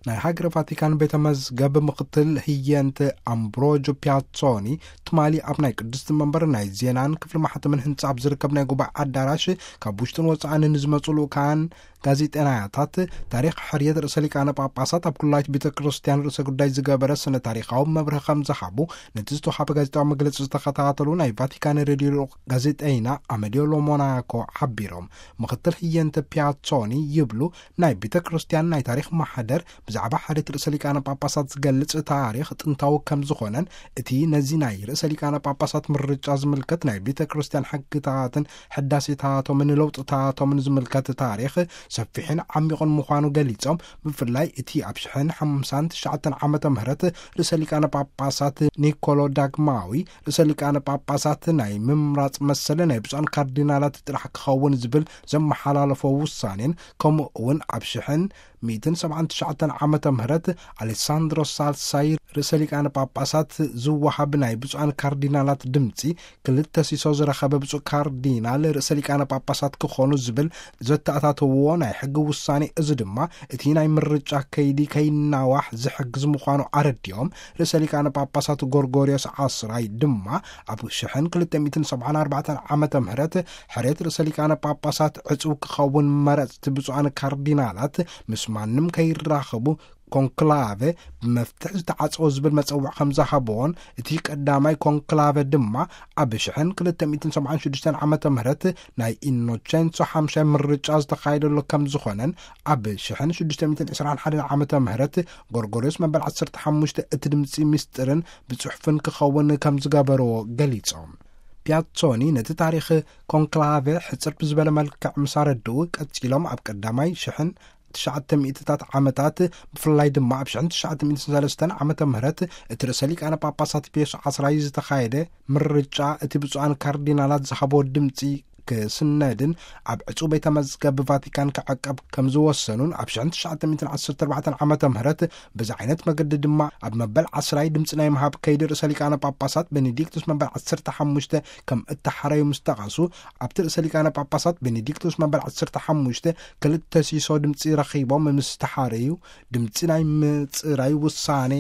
ናይ ሃገረ ቫቲካን ቤተ መዝገብ ምኽትል ህየንት ኣምብሮጆ ፒያሶኒ ትማሊ ኣብ ናይ ቅድስቲ መንበር ናይ ዜናን ክፍሊ ማሕተምን ህንጻ ኣብ ዝርከብ ናይ ጉባኤ ኣዳራሽ ካብ ውሽጥን ወጻእን ንዝመጹ ልኡካን ጋዜጠናያታት ታሪኽ ሕርየት ርእሰ ሊቃነ ጳጳሳት ኣብ ኩላይት ቤተ ክርስቲያን ርእሰ ጉዳይ ዝገበረ ስነ ታሪኻዊ መብርሂ ከም ዝሃቡ ነቲ ዝተዋሃበ ጋዜጣዊ መግለጺ ዝተኸታተሉ ናይ ቫቲካን ሬድዮ ልኡኽ ጋዜጠይና ኣመሊዮ ሎሞናኮ ሓቢሮም። ምኽትል ህየንት ፒያሶኒ ይብሉ፣ ናይ ቤተ ክርስቲያን ናይ ታሪኽ ማሕደር ብዛዕባ ሕርየት ርእሰ ሊቃነ ጳጳሳት ዝገልጽ ታሪኽ ጥንታዊ ከም ዝኾነን፣ እቲ ነዚ ናይ ርእሰ ሊቃነ ጳጳሳት ምርጫ ዝምልከት ናይ ቤተ ክርስቲያን ሕግታትን ሕዳሴታቶምን ለውጥታቶምን ዝምልከት ታሪኽ ሰፊሕን ዓሚቑን ምዃኑ ገሊጾም፣ ብፍላይ እቲ ኣብ ሽሕን ሓምሳን ትሽዓተን ዓመተ ምህረት ርእሰ ሊቃነ ጳጳሳት ኒኮሎ ዳግማዊ ርእሰ ሊቃነ ጳጳሳት ናይ ምምራጽ መሰለ ናይ ብፁዓን ካርዲናላት ጥራሕ ክኸውን ዝብል ዘመሓላለፎ ውሳኔን፣ ከምኡ እውን ኣብ ሽሕን ሚእትን ሰብዓን ትሽዓተን ዓመተ ምህረት ኣሌሳንድሮ ሳልሳይ ርእሰ ሊቃነ ጳጳሳት ዝወሃብ ናይ ብፁዓን ካርዲናላት ድምፂ ክልተ ሲሶ ዝረኸበ ብፁዕ ካርዲናል ርእሰ ሊቃነ ጳጳሳት ክኾኑ ዝብል ዘተኣታተውዎ ናይ ሕጊ ውሳኔ፣ እዚ ድማ እቲ ናይ ምርጫ ከይዲ ከይናዋሕ ዝሕግዝ ምዃኑ ኣረዲኦም፣ ርእሰ ሊቃነ ጳጳሳት ጎርጎርዮስ ዓስራይ ድማ ኣብ ሽሕን ክልተ ሚእትን ሰብዓን ኣርባዕተን ዓመተ ምህረት ሕርየት ርእሰ ሊቃነ ጳጳሳት ዕጹው ክኸውን መረጽቲ ብፁዓን ካርዲናላት ምስ ማንም ከይራኸቡ ኮንክላቨ ብመፍትሕ ዝተዓጸወ ዝብል መጸውዕ ከም ዝሃበዎን፣ እቲ ቀዳማይ ኮንክላቨ ድማ ኣብ ሽሕን ክልተ ሚእትን ሰብዓን ሽዱሽተን ዓመተ ምህረት ናይ ኢኖቸንሶ ሓምሻይ ምርጫ ዝተኻየደሉ ከም ዝኾነን፣ ኣብ ሽሕን ሽዱሽተ ሚእትን ዕስራን ሓደን ዓመተ ምህረት ጎርጎርዮስ መበል ዓሰርተ ሓሙሽተ እቲ ድምፂ ምስጢርን ብጽሑፍን ክኸውን ከም ዝገበርዎ ገሊጾም። ፒያሶኒ ነቲ ታሪኽ ኮንክላቨ ሕጽር ብዝበለ መልክዕ ምስ ኣረድኡ፣ ቀጺሎም ኣብ ቀዳማይ ሽሕን ትሽዓተ ሚእትታት ዓመታት፣ ብፍላይ ድማ ኣብ ሽሕን ትሽዓተ ሚእትን ሰለስተን ዓመተ ምህረት እቲ ርእሰ ሊቃነ ጳጳሳት ፒዮስ ዓስራይ ዝተኻየደ ምርጫ፣ እቲ ብፁዓን ካርዲናላት ዝሃቦ ድምጺ ክስነድን ኣብ ዕጹው ቤተ መዝገብ ቫቲካን ክዕቀብ ከም ዝወሰኑን፣ ኣብ ሽሕን ትሽዓተ ሚእትን ዓሰርተ ኣርባዕተን ዓመተ ምህረት በዚ ዓይነት መገዲ ድማ ኣብ መበል ዓስራይ ድምጺ ናይ ምሃብ ከይዲ ርእሰ ሊቃነ ጳጳሳት ቤኔዲክቱስ መበል ዓሰርተ ሓሙሽተ ከም እተሓረዩ ምስ ጠቐሱ፣ ኣብቲ ርእሰ ሊቃነ ጳጳሳት ቤኔዲክቱስ መበል ዓሰርተ ሓሙሽተ ክልተ ሲሶ ድምጺ ረኺቦም ምስ ተሓረዩ፣ ድምጺ ናይ ምጽራይ ውሳኔ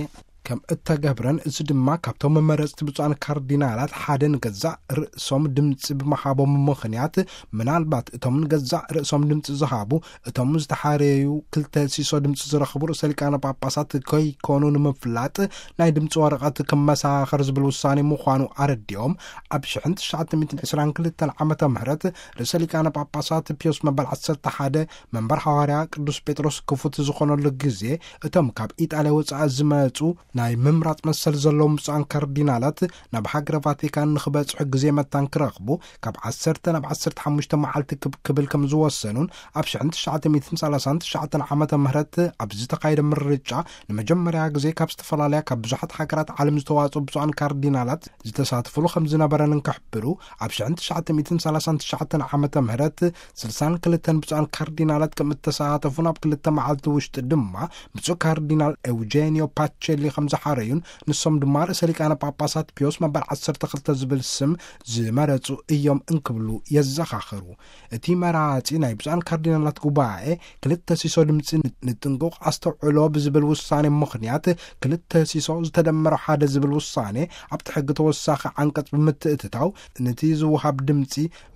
ከም እተገብረን፣ እዚ ድማ ካብቶም መመረጽቲ ብፁዓን ካርዲናላት ሓደ ንገዛእ ርእሶም ድምጺ ብምሃቦም ምኽንያት፣ ምናልባት እቶም ንገዛእ ርእሶም ድምጺ ዝሃቡ፣ እቶም ዝተሓረዩ ክልተ ሲሶ ድምጺ ዝረኽቡ ርእሰ ሊቃነ ጳጳሳት ከይኮኑ ንምፍላጥ ናይ ድምጺ ወረቐት ክመሳኸር ዝብል ውሳኔ ምዃኑ ኣረዲኦም፣ ኣብ ሽሕን ትሽዓተ ሚእትን ዕስራን ክልተን ዓመተ ምህረት ርእሰ ሊቃነ ጳጳሳት ፒዮስ መበል ዓሰርተ ሓደ መንበር ሃዋርያ ቅዱስ ጴጥሮስ ክፉት ዝኾነሉ ግዜ፣ እቶም ካብ ኢጣልያ ወጻኢ ዝመጹ ናይ ምምራጽ መሰል ዘለዎም ብፁዓን ካርዲናላት ናብ ሃገረ ቫቲካን ንኽበጽሑ ግዜ መታን ክረኽቡ ካብ ዓሰርተ ናብ ዓሰርተ ሓሙሽተ መዓልቲ ክብ-፣ ክብል ከም ዝወሰኑን፣ ኣብ ሽሕን ትሽዓተ ሚእትን ሰላሳን ትሽዓተን ዓመተ ምህረት ኣብ ዝተኻየደ ምርጫ ንመጀመርያ ግዜ ካብ ዝተፈላለያ ካብ ብዙሓት ሃገራት ዓለም ዝተዋጽኡ ብፁዓን ካርዲናላት ዝተሳትፉሉ ከም ዝነበረን እንክሕብሩ፣ ኣብ ሽሕን ትሽዓተ ሚእትን ሰላሳን ትሽዓተን ዓመተ ምህረት ስልሳን ክልተን ብፁዓን ካርዲናላት ከም እተሳተፉን፣ ኣብ ክልተ መዓልቲ ውሽጢ ድማ ብፁዕ ካርዲናል ኤውጄኒዮ ፓቸሊ ከም ዝሓረዩን፣ ንሶም ድማ ርእሰ ሊቃነ ጳጳሳት ፒዮስ መበል ዓሰርተ ክልተ ዝብል ስም ዝመረጹ እዮም እንክብሉ የዘኻኽሩ። እቲ መራጺ ናይ ብፁዓን ካርዲናላት ጉባኤ ክልተ ሲሶ ድምጺ ን-፣ ንጥንቁቕ ኣስተውዕሎ ብዝብል ውሳኔ ምኽንያት፣ ክልተ ሲሶ ዝተደመረ ሓደ ዝብል ውሳኔ ኣብቲ ሕጊ ተወሳኺ ዓንቀጽ ብምትእትታው፣ ነቲ ዝወሃብ ድምጺ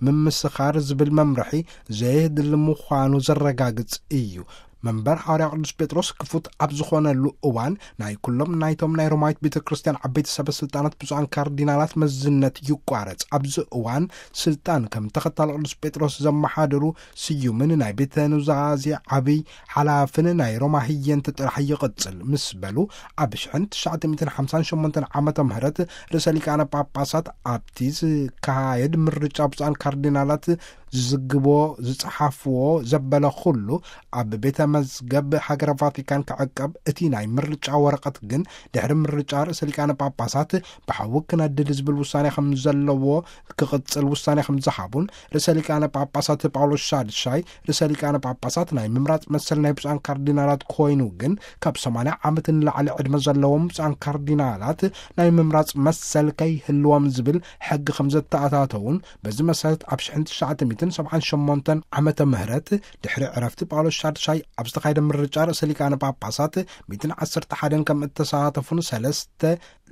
ምምስኻር ዝብል መምርሒ ዘየድሊ ምዃኑ ዘረጋግጽ እዩ። መንበር ሃዋርያ ቅዱስ ጴጥሮስ ክፉት ኣብ ዝኾነሉ እዋን፣ ናይ ኩሎም ናይቶም ናይ ሮማዊት ቤተ ክርስቲያን ዓበይቲ ሰበ ስልጣናት ብፁዓን ካርዲናላት መዝነት ይቋረጽ። ኣብዚ እዋን፣ ስልጣን ከም ተኸታሊ ቅዱስ ጴጥሮስ ዘመሓድሩ ስዩምን ናይ ቤተ ኑዛዜ ዓብይ ሓላፍን ናይ ሮማ ህየንት ጥራሕ ይቕጽል ምስ በሉ፣ ኣብ ሽሕን ትሽዓተ ሚእትን ሓምሳን ሸሞንተን ዓመተ ምህረት ርእሰ ሊቃነ ጳጳሳት ኣብቲ ዝካየድ ምርጫ ብፁዓን ካርዲናላት ዝዝግቦ፣ ዝጸሓፍዎ ዘበለ ኩሉ ኣብ ቤተ መዝገብ ሃገረ ቫቲካን ክዕቀብ፣ እቲ ናይ ምርጫ ወረቐት ግን ድሕሪ ምርጫ ርእሰ ሊቃነ ጳጳሳት ብሓዊ ክነድድ ዝብል ውሳኔ ከም ዘለዎ ክቕጽል ውሳኔ ከም ዝሃቡን፣ ርእሰ ሊቃነ ጳጳሳት ጳውሎስ ሻድሻይ ርእሰ ሊቃነ ጳጳሳት ናይ ምምራጽ መሰል ናይ ብፁዓን ካርዲናላት ኮይኑ ግን፣ ካብ ሰማንያ ዓመት ንላዕሊ ዕድመ ዘለዎም ብፁዓን ካርዲናላት ናይ ምምራጽ መሰል ከይህልዎም ዝብል ሕጊ ከም ዘተኣታተውን፣ በዚ መሰረት ኣብ ሽሕን ትሽዓተ ሚእትን ሰብዓን ሸሞንተን ዓመተ ምህረት፣ ድሕሪ ዕረፍቲ ጳውሎስ ሻድሻይ ኣብ ዝተኻየደ ምርጫ ርእሰ ሊቃነ ጳጳሳት ሚእትን ዓሰርተ ሓደን ከም እተሳተፉን ሰለስተ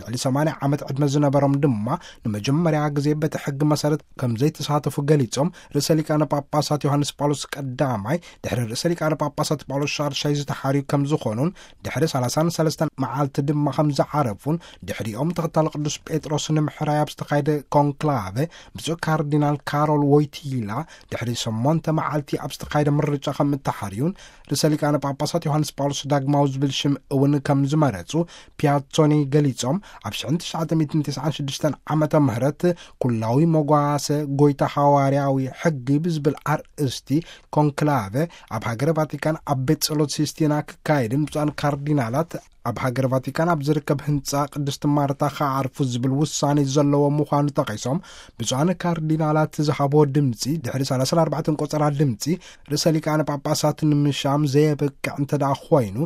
ልዕሊ ሰማንያ ዓመት ዕድመ ዝነበሮም ድማ ንመጀመርያ ግዜ በቲ ሕጊ መሰረት ከም ዘይተሳተፉ ገሊጾም፣ ርእሰ ሊቃነ ጳጳሳት ዮሃንስ ጳውሎስ ቀዳማይ ድሕሪ ርእሰ ሊቃነ ጳጳሳት ጳውሎስ ሻድሻይ ዝተሓርዩ ከም ዝኾኑን ድሕሪ ሰላሳን ሰለስተን መዓልቲ ድማ ከም ዝዓረፉን፣ ድሕሪኦም ተኸታሊ ቅዱስ ጴጥሮስ ንምሕራይ ኣብ ዝተኻየደ ኮንክላቨ ብፁዕ ካርዲናል ካሮል ዎይቲላ ድሕሪ ሸሞንተ መዓልቲ ኣብ ዝተኻየደ ምርጫ ከም እተሓርዩን፣ ርእሰ ሊቃነ ጳጳሳት ዮሃንስ ጳውሎስ ዳግማዊ ዝብል ሽም እውን ከም ዝመረጹ ፒያቶኒ ገሊጾም፣ ኣብ ሽሕን ትሽዓተ ሚእትን ተስዓን ሽዱሽተን ዓመተ ምህረት ኩላዊ መጓሰ ጎይታ ሃዋርያዊ ሕጊ ብዝብል ኣርእስቲ ኮንክላቨ ኣብ ሃገረ ቫቲካን ኣብ ቤት ጸሎት ሲስቲና ክካየድን ብፁዓን ካርዲናላት ኣብ ሃገረ ቫቲካን ኣብ ዝርከብ ህንጻ ቅድስቲ ማርታ ክዓርፉ ዝብል ውሳኔ ዘለዎ ምዃኑ ጠቒሶም፣ ብፁዓን ካርዲናላት ዝሃቦ ድምጺ ድሕሪ ሰላሳን ኣርባዕተን ቆጸራ ድምጺ ርእሰ ሊቃነ ጳጳሳት ንምሻም ዘየበቅዕ እንተ ደኣ ኮይኑ፣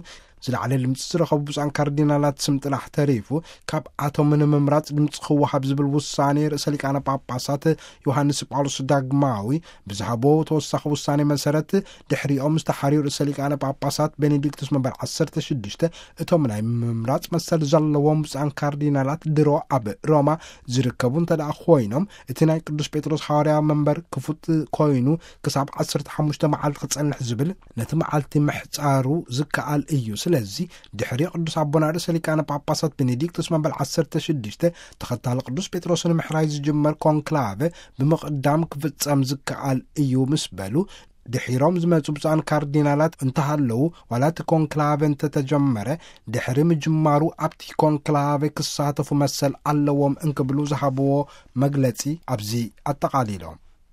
ዝለዓለ ድምጺ ዝረኸቡ ብፁዓን ካርዲናላት ስም ጥራሕ ተሪፉ፣ ካብኣቶም ንምምራጽ ድምጺ ክወሃብ ዝብል ውሳኔ ርእሰ ሊቃነ ጳጳሳት ዮሃንስ ጳውሎስ ዳግማዊ ብዝሃቦ ተወሳኺ ውሳኔ መሰረት፣ ድሕሪኦም ዝተሓርዩ ርእሰ ሊቃነ ጳጳሳት ቤኔዲክቱስ መንበር ዓሰርተ ሽዱሽተ፣ እቶም ናይ ምምራጽ መሰል ዘለዎም ብፁዓን ካርዲናላት ድሮ ኣብ ሮማ ዝርከቡ እንተ ደኣ ኮይኖም፣ እቲ ናይ ቅዱስ ጴጥሮስ ሃዋርያ መንበር ክፉት ኮይኑ ክሳብ ዓሰርተ ሓሙሽተ መዓልቲ ክጸንሕ ዝብል ነቲ መዓልቲ ምሕጻሩ ዝከኣል እዩ። ስለዚ ድሕሪ ቅዱስ ኣቦና ርእሰ ሊቃነ ጳጳሳት ቤኔዲክቱስ መንበር ዓሰርተ ሽዱሽተ፣ ተኸታሊ ቅዱስ ጴጥሮስ ንምሕራይ ዝጅመር ኮንክላቨ ብምቕዳም ክፍጸም ዝከኣል እዩ ምስ በሉ፣ ድሒሮም ዝመጹ ብፁዓን ካርዲናላት እንተሃለዉ፣ ዋላ እቲ ኮንክላቨ እንተተጀመረ፣ ድሕሪ ምጅማሩ ኣብቲ ኮንክላቨ ክሳተፉ መሰል ኣለዎም እንክብሉ ዝሃብዎ መግለጺ ኣብዚ ኣጠቓሊሎም።